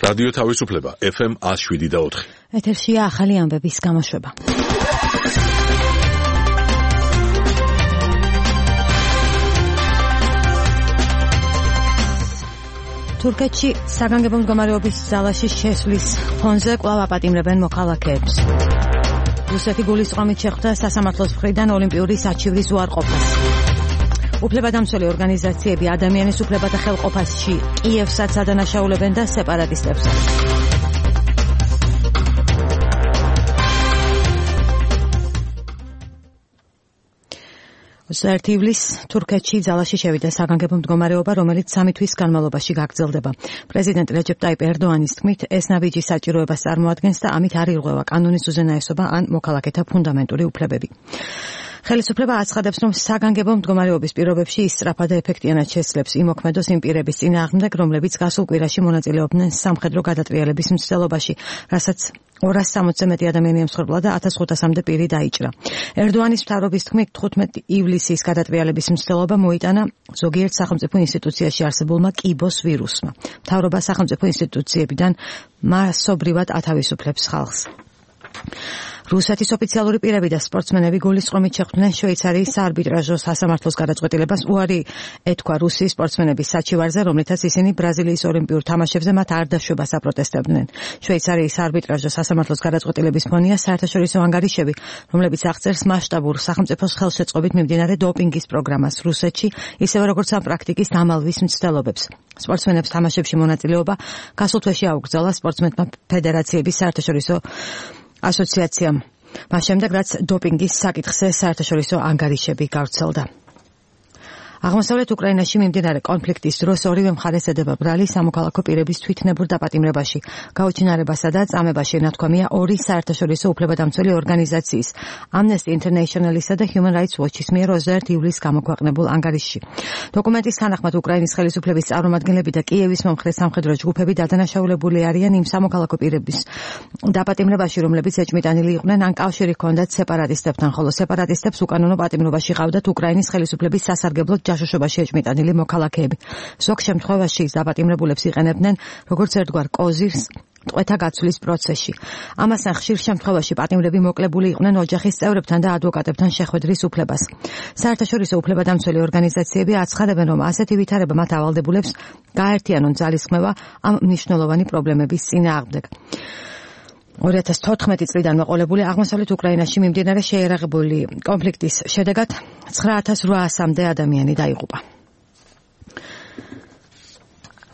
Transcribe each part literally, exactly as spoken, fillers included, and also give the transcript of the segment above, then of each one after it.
რადიო თავისუფლება ეფ ემ ათს შვიდი და ოთხი. ეთერშია ახალი ამბების გამოშვება. თურქეთში საგანგებო მდგომარეობის ძალაში შესვლის ფონზე კვლავ აპატიმრებენ მოქალაქეებს. რუსეთი გულისწყრომით შეხვდა სასამართლოს მხრიდან ოლიმპიური საჩივრის უარყოფას. უფლებადამცველი ორგანიზაციები ადამიანის უფლებათა ხელყოფაში კიევსაც ადანაშაულებენ და სეპარატისტებსაც. ოცდაერთი ივლისს თურქეთში ძალაში შევიდა საგანგებო მდგომარეობა, რომელიც სამი თვის განმავლობაში გაგრძელდება. პრეზიდენტ რეჯეპ ტაიპ ერდოანის თქმით, ეს ნაბიჯი საჭიროებას წარმოადგენს და ამით არ ირღვევა კანონის უზენაესობა ან მოქალაქეთა ფუნდამენტური უფლებები. ხელისუფლება აცხადებს, რომ საგანგებო მდგომარეობის პირობებში ის სწრაფად და ეფექტიანად შესძლებს იმოქმედოს იმ პირების წინააღმდეგ, რომლებიც გასულ კვირაში მონაწილეობდნენ სამხედრო გადატრიალების მცდელობაში, რასაც ორას სამოცზე მეტი ადამიანი ემსხვერპლა და ათას ხუთასამდე პირი დაიჭრა. ერდოანის მთავრობის თქმით, თხუთმეტი ივლისის გადატრიალების მცდელობა მოიტანა ზოგიერთ სახელმწიფო ინსტიტუციაში არსებულმა კიბოს ვირუსმა. მთავრობა სახელმწიფო ინსტიტუციებიდან მასობრივად ათავისუფლებს ხალხს. რუსეთის ოფიციალური პირები და სპორტსმენები გულისწყრომით შეხვდნენ შვეიცარიის საარბიტრაჟო სასამართლოს გადაწყვეტილებას უარი ეთქვა რუსიის სპორტსმენების საჩივარზე, რომლითაც ისინი ბრაზილიის ოლიმპიურ თამაშებზე მათ არ დაშვებას აპროტესტებდნენ. შვეიცარიის საარბიტრაჟო სასამართლოს გადაწყვეტილების ფონია საერთაშორისო ანგარიშები, რომლებიც აღწერს მასშტაბურ სახელმწიფოს ხელშეწყობით მიმდინარე დოპინგის პროგრამას რუსეთში, ისევე როგორც ამ პრაქტიკის დამალვის მცდელობებს. სპორტსმენებს თამაშებში მონაწილეობა გასულ თვეში აუკრძალა სპორტსმენთა ფედერაციების საერთაშორისო ასოციაციამ. მას შემდეგ, რაც დოპინგის საკითხზე საერთაშორისო ანგარიშები გავრცელდა. აღმოსავლეთ უკრაინაში მიმდინარე კონფლიქტის დროს ორივე მხარეს ედება ბრალი სამოქალაქო პირების თვითნებურ დაპატიმრებაში, გაუჩინარებასა და წამებაში ნათქვამია ორი საერთაშორისო უფლებადამცველი ორგანიზაციის, Amnesty International-ისა და Human Rights Watch-ის მიერ ოცდაერთი ივლისს გამოქვეყნებულ ანგარიშში. დოკუმენტის თანახმად უკრაინის ხელისუფლების წარმომადგენლები და კიევის მომხრე სამხედრო ჯგუფები დადანაშაულებული არიან იმ სამოქალაქო პირების დაპატიმრებაში, რომლებიც ეჭმიტანილი იყვნენ ან კავშირი ჰქონდათ სეპარატისტებთან, ხოლო სეპარატისტებს უკანონო პატიმრობაში ყავდათ უკრაინის ხელისუფლების სასარგებლოდ ჯაშუშობაში ეჭმიტანილი მოქალაქეები. ზოგ შემთხვევაში დაპატიმრებულებს იყენებდნენ როგორც ერთგვარ კოზირს ტყვეთა გაცვლის პროცესში. ამასთან ხშირ შემთხვევაში პატიმრები მოკლებული იყვნენ ოჯახის წევრებთან და ადვოკატებთან შეხვედრის უფლებას. საერთაშორისო უფლებადამცველი ორგანიზაციები აცხადებენ, რომ ასეთი ვითარება მათ ავალდებულებს გააერთიანონ ძალისხმევა ამ მნიშვნელოვანი პრობლემების წინააღმდეგ. ორი ათას თოთხმეტი წლიდან მოყოლებული აღმოსავლეთ უკრაინაში მიმდინარე შეიარაღებული კონფლიქტის შედეგად ცხრა ათას რვაასამდე ადამიანი დაიღუპა.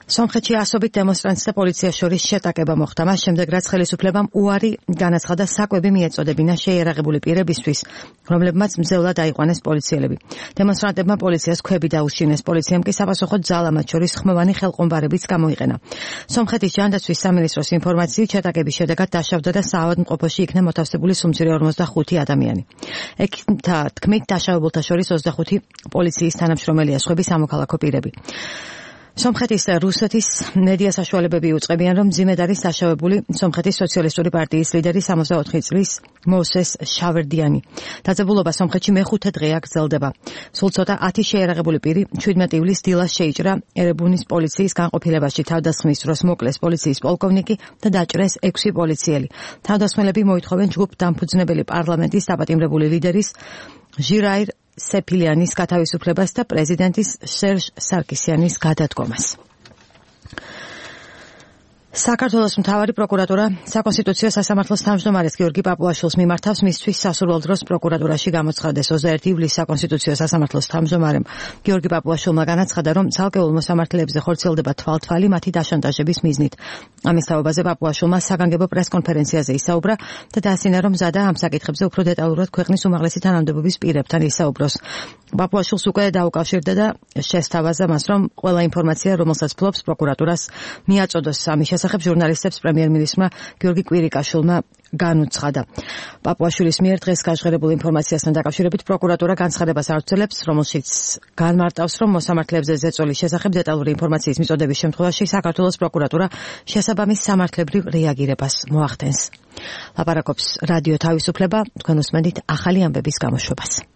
სომხეთში ასობით დემონსტრანტს და პოლიციას შორის შეტაკება მოხდა, მას შემდეგ, რაც ხელისუფლებამ უარი განაცხადა საკვები მიეწოდებინა შეიარაღებული პირებისთვის, რომლებმაც მძევლად აიყვანეს პოლიციელები. დემონსტრანტებმა პოლიციას ქვები დაუშინეს, პოლიციამ კი საპასუხოდ ძალა მათ შორის ხმოვანი ხელყომბარებიც გამოიყენა. სომხეთის ჯანდაცვის სამინისტროს ინფორმაციით, შეტაკების შედეგად დაშავდა და საავადმყოფოში იქნა მოთავსებული სუმცირე ორმოცდახუთი ადამიანი. ეკთა თქმით, დაშავებულთა შორის ოცდახუთი პოლიციის თანამშრომელია, სხვები სამოქალაქო პირები. სომხეთის და რუსეთის მედია საშუალებები უწყებიან, რომ მძიმედ არის დაშავებული სომხეთის სოციალისტური პარტიის ლიდერი სამოცდაოთხი წლის მოსეს შავერდიანი. დაძაბულობა სომხეთში მეხუთე დღეა გრძელდება. სულ ცოტა ათი შეიარაღებული პირი შვიდმეტი ივლისს დილას შეიჭრა ერებუნის პოლიციის განყოფილებაში. თავდასხმის დროს მოკლეს პოლიციის პოლკოვნიკი და დაჭრეს ექვსი პოლიციელი. თავდასხმელები მოითხოვენ ჯგუფ დამფუძნებელი პარლამენტის დაპატიმრებული ლიდერის ჟირაირ სეფილიანის გათავისუფლებას და პრეზიდენტის სერჟ სარკისიანის გადადგომას. საქართველოს მთავარი პროკურატურა საკონსტიტუციო სასამართლოს თავმჯდომარეს გიორგი პაპუაშვილს მიმართავს მისთვის სასურველ დროს პროკურატურაში გამოცხადეს. ოცდაერთი ივლისს საკონსტიტუციო სასამართლოს თავმჯდომარემ გიორგი პაპუაშვილმა განაცხადა, რომ ცალკეულ მოსამართლეებზე ხორციელდება თვალთვალი მათი დაშანტაჟების მიზნით. ამის თაობაზე პაპუაშვილმა საგანგებო პრესკონფერენციაზე ისაუბრა და დაასინა, რომ მზადა ამ საკითხებზე უფრო დეტალურად ქვეყნის უმაღლესი თანამდებობის პირებთან ისაუბროს. პაპუაშვილს უკვე დაუკავშირდა და შესთავაზა მას, რომ ყველა ინფორმაცია, რომელსაც ფლობს პროკურატურას, მიაწოდოს ამის შესახებ ჟურნალისტებს პრემიერ-მინისტრმა გიორგი კვირიკაშვილმა განუცხადა. პაპუაშვილის მიერ დღეს გაჟღერებულ ინფორმაციასთან დაკავშირებით პროკურატურა განცხადებას ავრცელებს, რომელშიც განმარტავს, რომ მოსამართლეებზე ზეწოლის შესახებ დეტალური ინფორმაციის მიწოდების შემთხვევაში საქართველოს პროკურატურა შესაბამის სამართლებრივ რეაგირებას მოახდენს. ლაპარაკობს რადიო თავისუფლება, თქვენ უსმენთ ახალი ამბების გამოშვებას.